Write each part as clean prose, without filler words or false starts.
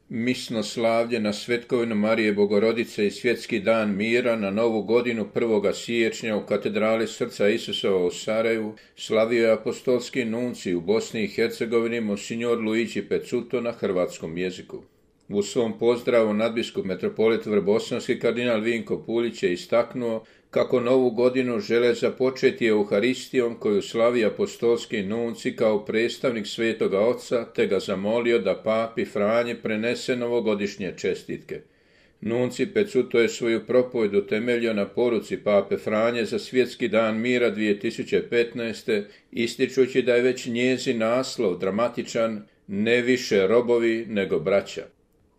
Misno slavlje na svetkovinu Marije Bogorodice i svjetski dan mira na novu godinu 1. siječnja u katedrali Srca Isusova u Sarajevu slavio je apostolski nuncij u Bosni i Hercegovini monsignor Luigi Pezzuto na hrvatskom jeziku. U svom pozdravu nadbiskup metropolit Vrbosanski kardinal Vinko Pulić je istaknuo kako novu godinu žele započeti Euharistijom koju slavi apostolski nuncij kao predstavnik Svetoga Oca, te ga zamolio da papi Franji prenese novogodišnje čestitke. Nuncij Pezzuto je svoju propovjed utemeljio na poruci pape Franje za svjetski dan mira 2015. ističući da je već njezin naslov dramatičan, ne više robovi nego braća.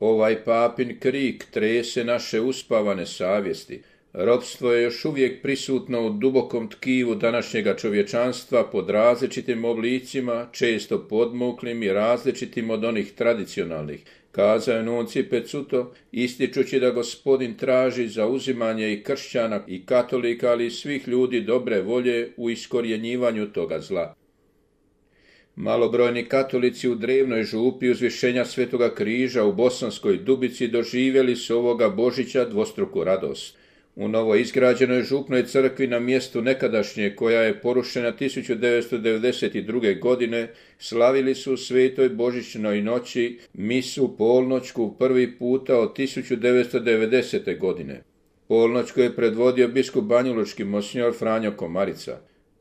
Ovaj papin krik trese naše uspavane savjesti. Ropstvo je još uvijek prisutno u dubokom tkivu današnjega čovječanstva pod različitim oblicima, često podmuklim i različitim od onih tradicionalnih, kazao je nuncij Pezzuto, ističući da Gospodin traži zauzimanje i kršćana i katolika, ali i svih ljudi dobre volje u iskorjenjivanju toga zla. Malobrojni katolici u drevnoj župi uzvišenja Svetoga križa u Bosanskoj Dubici doživjeli su ovoga Božića dvostruku radost. U novo izgrađenoj župnoj crkvi na mjestu nekadašnje, koja je porušena 1992. godine, slavili su u svetoj božićnoj noći misu polnoćku prvi puta od 1990. godine. Polnoćku je predvodio biskup banjalučki monsignor Franjo Komarica.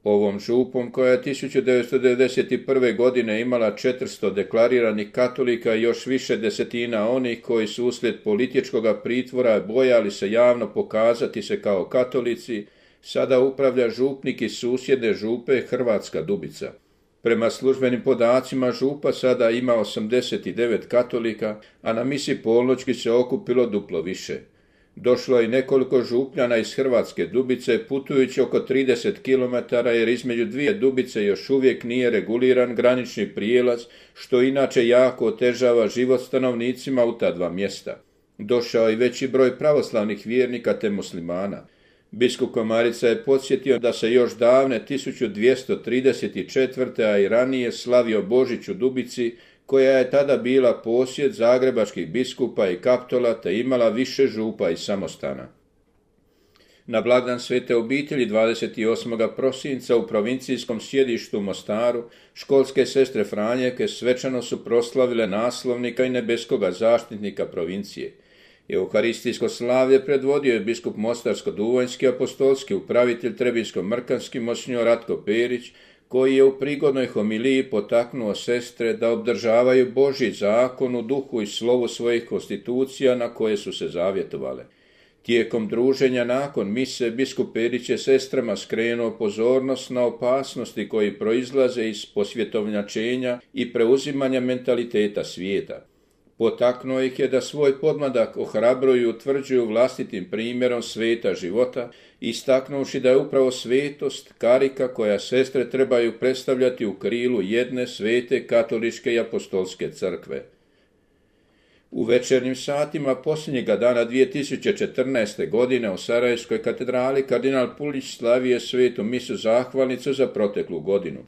Ovom župom, koja je 1991. godine imala 400 deklariranih katolika i još više desetina onih koji su uslijed političkog pritvora bojali se javno pokazati se kao katolici, sada upravlja župnik iz susjedne župe Hrvatska Dubica. Prema službenim podacima župa sada ima 89 katolika, a na misi polnoćki se okupilo duplo više. Došlo je nekoliko župljana iz Hrvatske Dubice putujući oko 30 km jer između dvije Dubice još uvijek nije reguliran granični prijelaz, što inače jako otežava život stanovnicima u ta dva mjesta. Došao je veći broj pravoslavnih vjernika te muslimana. Biskup Komarica je podsjetio da se još davne 1234. a i ranije slavio Božić u Dubici, koja je tada bila posjed zagrebačkih biskupa i kaptola te imala više župa i samostana. Na blagdan Svete obitelji 28. prosinca u provincijskom sjedištu Mostaru školske sestre Franjevke svečano su proslavile naslovnika i nebeskoga zaštitnika provincije. Euharistijsko slavlje predvodio je biskup Mostarsko-Duvanjski apostolski upravitelj Trebinsko-Mrkanski monsignor Ratko Perić, koji je u prigodnoj homiliji potaknuo sestre da obdržavaju Božji zakon u duhu i slovu svojih konstitucija na koje su se zavjetovale. Tijekom druženja nakon mise biskup Perić je sestrama skrenuo pozornost na opasnosti koji proizlaze iz posvjetovnjačenja i preuzimanja mentaliteta svijeta. Potaknuo ih je da svoj podmladak ohrabruju i utvrđuju vlastitim primjerom sveta života, istaknuvši da je upravo svetost karika koja sestre trebaju predstavljati u krilu jedne svete katoličke i apostolske crkve. U večernjim satima posljednjega dana 2014. godine u Sarajevskoj katedrali kardinal Pulić slavio svetu misu zahvalnicu za proteklu godinu.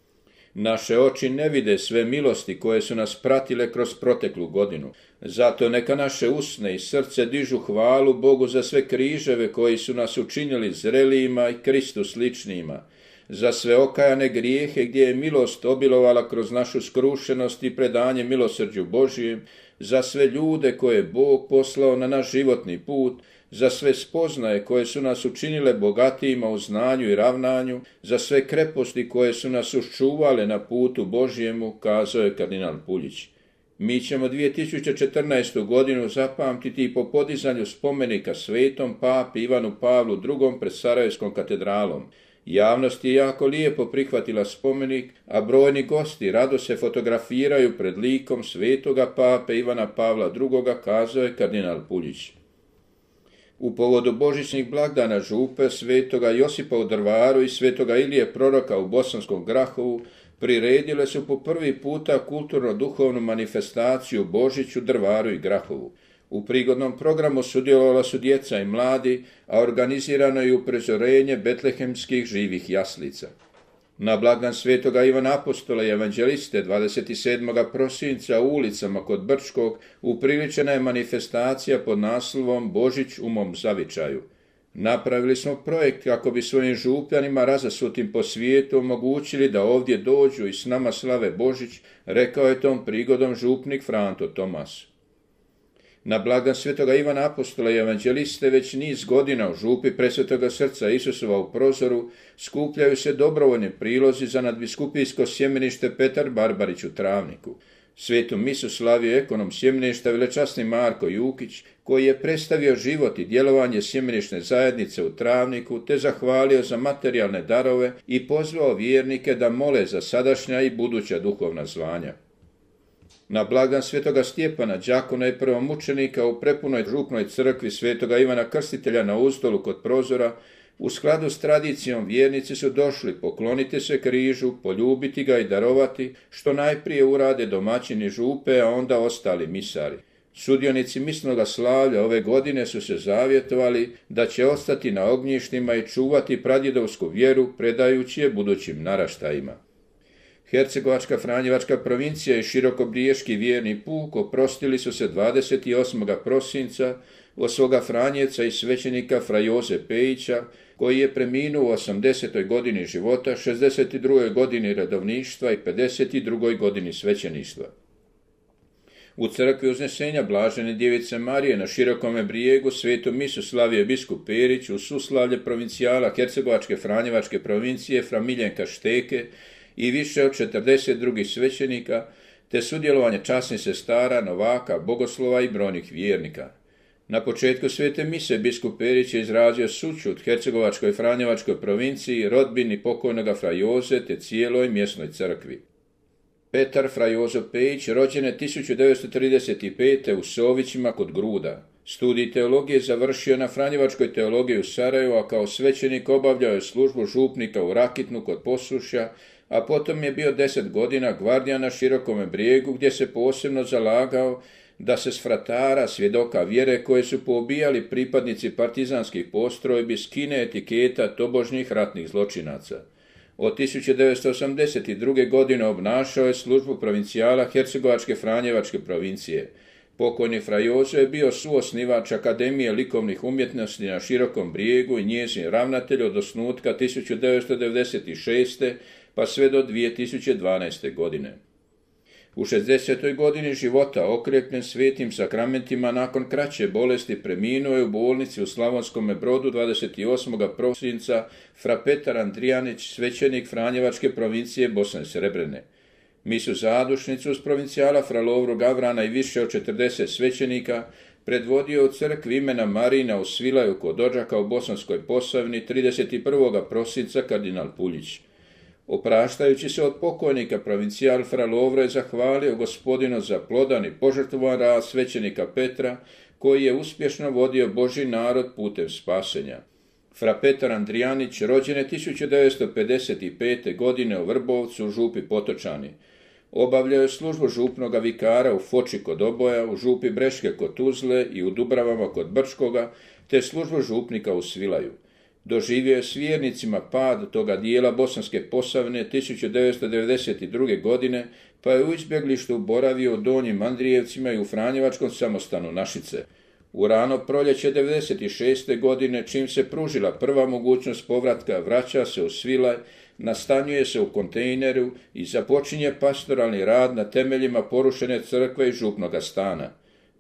Naše oči ne vide sve milosti koje su nas pratile kroz proteklu godinu. Zato neka naše usne i srce dižu hvalu Bogu za sve križeve koji su nas učinili zrelijima i Kristu sličnijima, za sve okajane grijehe gdje je milost obilovala kroz našu skrušenost i predanje milosrđu Božijem, za sve ljude koje je Bog poslao na naš životni put, za sve spoznaje koje su nas učinile bogatijima u znanju i ravnanju, za sve kreposti koje su nas uščuvale na putu Božjemu, kazao je kardinal Pulić. Mi ćemo 2014. godinu zapamtiti i po podizanju spomenika svetom papi Ivanu Pavlu II. Pred Sarajevskom katedralom. Javnost je jako lijepo prihvatila spomenik, a brojni gosti rado se fotografiraju pred likom svetoga pape Ivana Pavla II., kazao je kardinal Pulić. U povodu božićnih blagdana župe svetoga Josipa u Drvaru i svetoga Ilije proroka u Bosanskom Grahovu priredile su po prvi puta kulturno-duhovnu manifestaciju Božić u Drvaru i Grahovu. U prigodnom programu sudjelovala su djeca i mladi, a organizirano je uprezorenje betlehemskih živih jaslica. Na blagdan svetoga Ivana Apostola i evanđeliste 27. prosinca u ulicama kod Brčkog upriličena je manifestacija pod naslovom Božić u mom zavičaju. Napravili smo projekt kako bi svojim župljanima razasutim po svijetu omogućili da ovdje dođu i s nama slave Božić, rekao je tom prigodom župnik Franto Tomas. Na blagdan svetoga Ivana Apostola i evanđeliste već niz godina u župi Presvetoga srca Isusova u Prozoru skupljaju se dobrovoljni prilozi za nadbiskupijsko sjemenište Petar Barbarić u Travniku. Svetu misu slavio ekonom sjemeništa velečasni Marko Jukić, koji je predstavio život i djelovanje sjemenišne zajednice u Travniku, te zahvalio za materijalne darove i pozvao vjernike da mole za sadašnja i buduća duhovna zvanja. Na blagdan svetoga Stjepana, đakona i prvomučenika u prepunoj župnoj crkvi svetoga Ivana Krstitelja na Uzdolu kod Prozora, u skladu s tradicijom vjernici su došli pokloniti se križu, poljubiti ga i darovati, što najprije urade domaćini župe, a onda ostali misari. Sudionici misnoga slavlja ove godine su se zavjetovali da će ostati na ognjištima i čuvati pradjedovsku vjeru, predajući je budućim naraštajima. Hercegovačka Franjevačka provincija i Širokobriješki vjerni puk oprostili su se 28. prosinca od svoga Franjevca i svećenika fra Joze Pejića, koji je preminuo u 80. godini života, 62. godini redovništva i 52. godini svećeništva. U crkvi Uznesenja Blažene Djevice Marije na Širokome Brijegu svetu misu slavio biskup Perić u suslavlje provincijala Hercegovačke Franjevačke provincije fra Miljenka Šteke i više od 40 drugih svećenika, te sudjelovanje časnih sestara, novaka, bogoslova i brojnih vjernika. Na početku svete mise biskup Perić je izrazio sućut Hercegovačkoj Franjevačkoj provinciji, rodbini pokojnoga fra Joze te cijeloj mjesnoj crkvi. Petar fra Jozo Pejić rođen je 1935. u Sovićima kod Gruda. Studij teologije završio na Franjevačkoj teologiji u Sarajevu, a kao svećenik obavljao je službu župnika u Rakitnu kod Posušja, a potom je bio 10 godina gvardijan na Širokome Brijegu, gdje se posebno zalagao da se s fratara, svjedoka vjere koje su poubijali pripadnici partizanskih postrojbi, skine etiketa tobožnjih ratnih zločinaca. Od 1982. godine obnašao je službu provincijala Hercegovačke Franjevačke provincije. Pokojni fra Jozo je bio suosnivač Akademije likovnih umjetnosti na Širokom Brijegu i njezin ravnatelj od osnutka 1996. pa sve do 2012. godine. U 60. godini života, okrepljen svetim sakramentima, nakon kraće bolesti preminuo je u bolnici u Slavonskome Brodu 28. prosinca fra Petar Andrijanić, svećenik Franjevačke provincije Bosne i Srebrene. Misu zadušnicu uz provincijala fra Lovru Gavrana i više od 40 svećenika predvodio u crkvi imena Marina u Svilaju kod Odžaka u Bosanskoj Posavini 31. prosinca kardinal Puljić. Opraštajući se od pokojnika, provincijal fra Lovro je zahvalio Gospodinu za plodan i požrtvovan rad svećenika Petra, koji je uspješno vodio Božji narod putem spasenja. Fra Petar Andrijanić rođen je 1955. godine u Vrbovcu u župi Potočani. Obavljao je službu župnoga vikara u Foči kod Oboja, u župi Breške kod Tuzle i u Dubravama kod Brčkoga, te službu župnika u Svilaju. Doživio je s vjernicima pad toga dijela Bosanske Posavine 1992. godine, pa je u izbjeglištu boravio u Donjim Andrijevcima i u Franjevačkom samostanu Našice. U rano proljeće 1996. godine, čim se pružila prva mogućnost povratka, vraća se u Svilaj, nastanjuje se u kontejneru i započinje pastoralni rad na temeljima porušene crkve i župnoga stana.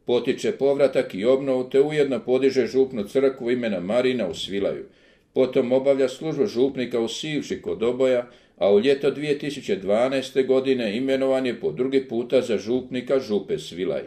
Potiče povratak i obnovu, te ujedno podiže župnu crkvu imena Marina u Svilaju. Potom obavlja službu župnika u Sivši kod Oboja, a u ljeto 2012. godine imenovan je po drugi puta za župnika župe Svilaj.